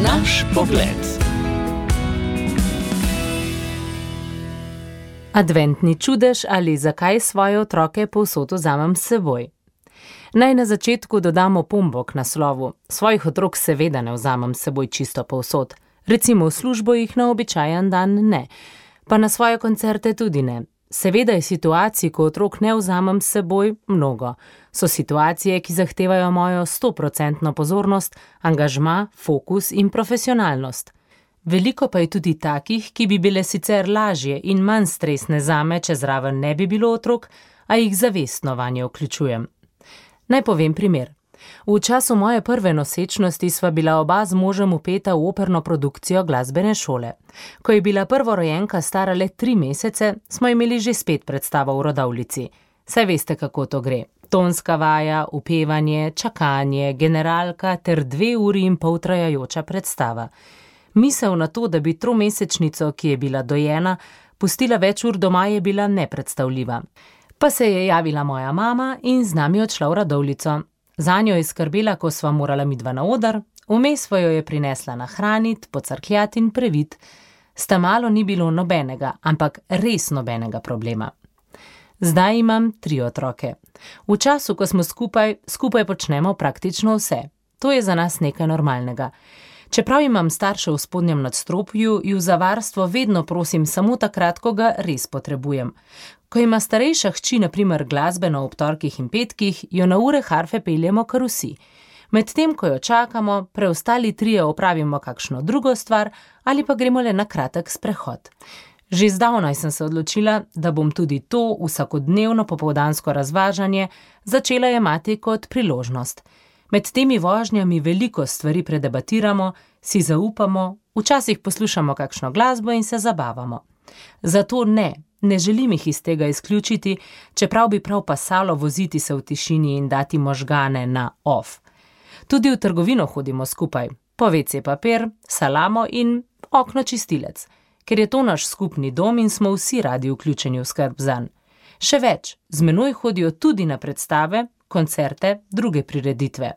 Naš pogled. Adventni čudež ali zakaj svoje otroke povsod vzamem s seboj. Naj na začetku dodamo opombo k naslovu. Svojih otrok seveda ne vzamem s seboj čisto povsod. Recimo v službo jih na običajen dan ne, pa na svoje koncerte tudi ne. Seveda je situacij, ko otrok ne vzamem s seboj, mnogo. So situacije, ki zahtevajo mojo 100% pozornost, angažma, fokus in profesionalnost. Veliko pa je tudi takih, ki bi bile sicer lažje in manj stresne zame, če zraven ne bi bilo otrok, a jih zavestno vanje vključujem. Naj povem primer. V času moje prve nosečnosti sva bila oba z možem vpeta v operno produkcijo glasbene šole. Ko je bila prvorojenka stara le 3 mesece, smo imeli že spet predstavo v rodovlici. Saj veste, kako to gre. Tonska vaja, upevanje, čakanje, generalka ter 2 uri in pol trajajoča predstava. Misel na to, da bi 3-mesečnico, ki je bila dojena, pustila več ur doma, je bila nepredstavljiva. Pa se je javila moja mama in z nami odšla v rodovlico. Zanjo je skrbela, ko sva morala midva na oder, vmes jo je prinesla nahranit, pocrkljat in previt. Sta malo ni bilo nobenega, ampak res nobenega problema. Zdaj imam 3 otroke. V času, ko smo skupaj počnemo praktično vse. To je za nas nekaj normalnega. Čeprav imam starše v spodnjem nadstropju, ju za varstvo vedno prosim samo takrat, ko ga res potrebujem. Ko ima starejša hči na primer glasbeno ob torkih in petkih, jo na ure harfe peljemo kar vsi. Medtem, ko jo čakamo, preostali 3 opravimo kakšno drugo stvar ali pa gremo le na kratek sprehod. Že zdavnaj sem se odločila, da bom tudi to vsakodnevno popoldansko razvažanje začela jemati kot priložnost. Med temi vožnjami veliko stvari predebatiramo, si zaupamo, včasih poslušamo kakšno glasbo in se zabavamo. Zato ne želim jih iz tega izključiti, čeprav bi prav pasalo voziti se v tišini in dati možgane na off. Tudi v trgovino hodimo skupaj, po WC papir, salamo in okno čistilec, ker je to naš skupni dom in smo vsi radi vključeni v skrb zanj. Še več, z menoj hodijo tudi na predstave, koncerte, druge prireditve.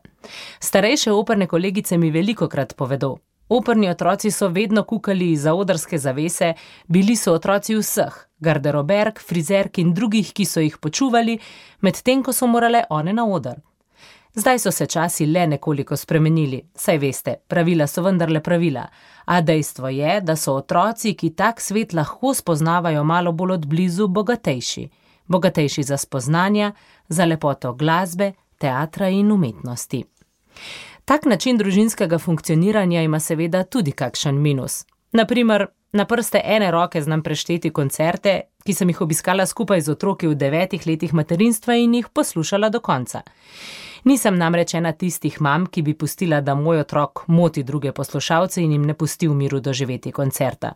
Starejše operne kolegice mi velikokrat povedo. Operni otroci so vedno kukali izza odrske zavese, bili so otroci vseh, garderoberk, frizerk in drugih, ki so jih počuvali, medtem ko so morale one na oder. Zdaj so se časi le nekoliko spremenili, saj veste, pravila so vendarle pravila, a dejstvo je, da so otroci, ki tak svet lahko spoznavajo malo bolj od blizu, bogatejši. Bogatejši za spoznanja, za lepoto glasbe, teatra in umetnosti. Tak način družinskega funkcioniranja ima seveda tudi kakšen minus. Naprimer, na prste ene roke znam prešteti koncerte, ki sem jih obiskala skupaj z otroki v 9 letih materinstva in jih poslušala do konca. Nisem namreč ena tistih mam, ki bi pustila, da moj otrok moti druge poslušalce in jim ne pusti v miru doživeti koncerta.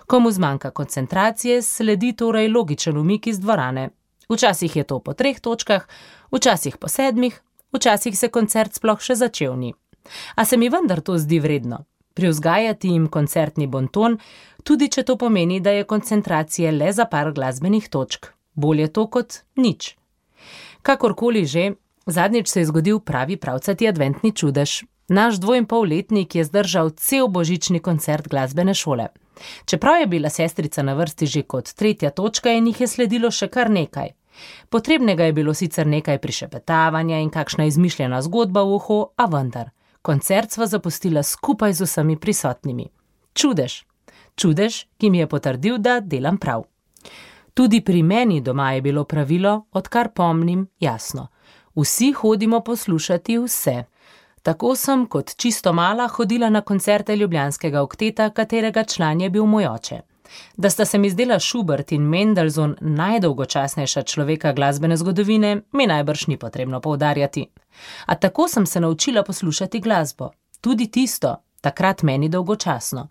Komu zmanjka koncentracije, sledi torej logičen umik iz dvorane. Včasih je to po 3 točkah, včasih po 7, včasih se koncert sploh še začel ni. A se mi vendar to zdi vredno. Privzgajati jim koncertni bonton, tudi če to pomeni, da je koncentracije le za par glasbenih točk. Bolje to kot nič. Kakorkoli že, zadnjič se je zgodil pravi pravcati adventni čudež. Naš 2,5-letnik je zdržal cel božični koncert glasbene šole. Čeprav je bila sestrica na vrsti že kot 3. točka in jih je sledilo še kar nekaj. Potrebnega je bilo sicer nekaj prišepetavanja in kakšna izmišljena zgodba v uho, a vendar. Koncert sva zapustila skupaj z vsemi prisotnimi. Čudež. Čudež, ki mi je potrdil, da delam prav. Tudi pri meni doma je bilo pravilo, odkar pomnim, jasno. Vsi hodimo poslušati vse. Tako sem kot čisto mala hodila na koncerte ljubljanskega okteta, katerega član je bil moj oče. Da sta se mi zdela Schubert in Mendelssohn najdolgočasnejša človeka glasbene zgodovine, mi najbrž ni potrebno poudarjati. A tako sem se naučila poslušati glasbo. Tudi tisto, takrat meni dolgočasno.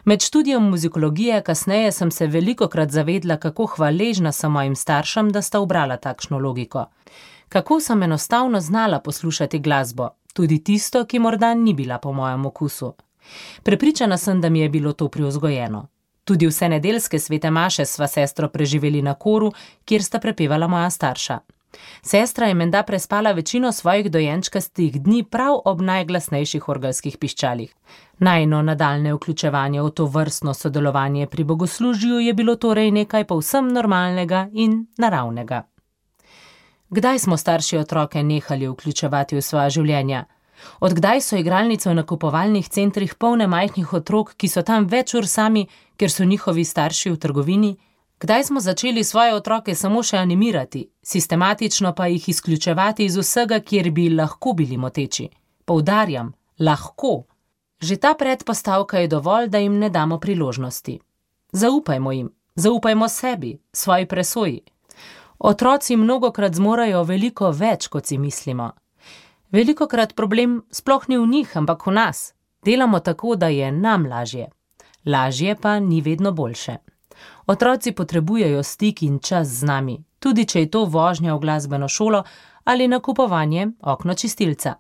Med študijem muzikologije kasneje sem se velikokrat zavedla, kako hvaležna sem mojim staršem, da sta ubrala takšno logiko. Kako sem enostavno znala poslušati glasbo, tudi tisto, ki morda ni bila po mojem okusu. Prepričana sem, da mi je bilo to privzgojeno. Tudi vse nedeljske svete maše sva sestro preživeli na koru, kjer sta prepevala moja starša. Sestra je menda prespala večino svojih dojenčkastih dni prav ob najglasnejših orgelskih piščalih. Najino nadaljnje vključevanje v to vrstno sodelovanje pri bogoslužju je bilo torej nekaj povsem normalnega in naravnega. Kdaj smo starši otroke nehali vključevati v svoja življenja? Odkdaj so igralnice v nakupovalnih centrih polne majhnih otrok, ki so tam več ur sami, ker so njihovi starši v trgovini? Kdaj smo začeli svoje otroke samo še animirati, sistematično pa jih izključevati iz vsega, kjer bi lahko bili moteči? Poudarjam, lahko. Že ta predpostavka je dovolj, da jim ne damo priložnosti. Zaupajmo jim, zaupajmo sebi, svoji presoji. Otroci mnogokrat zmorejo veliko več, kot si mislimo. Velikokrat problem sploh ni v njih, ampak v nas. Delamo tako, da je nam lažje. Lažje pa ni vedno boljše. Otroci potrebujejo stik in čas z nami, tudi če je to vožnja v glasbeno šolo ali nakupovanje okno čistilca.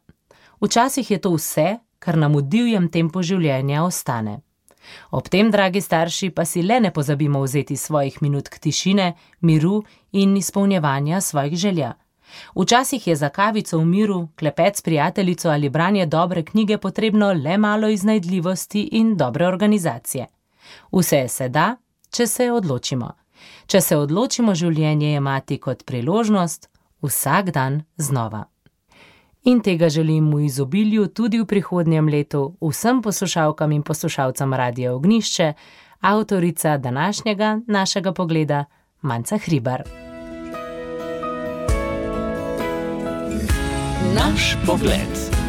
Včasih je to vse, kar nam v divjem tempu življenja ostane. Ob tem, dragi starši, pa si le ne pozabimo vzeti svojih minutk tišine, miru in izpolnjevanja svojih želja. Včasih je za kavico v miru, klepet s prijateljico ali branje dobre knjige potrebno le malo iznajdljivosti in dobre organizacije. Vse se da, če se odločimo. Če se odločimo življenje jemati kot priložnost, vsak dan znova. In tega želim v izobilju tudi v prihodnjem letu vsem poslušalkam in poslušalcem Radia Ognjišče, avtorica današnjega našega pogleda, Manca Hribar. Naš pogled.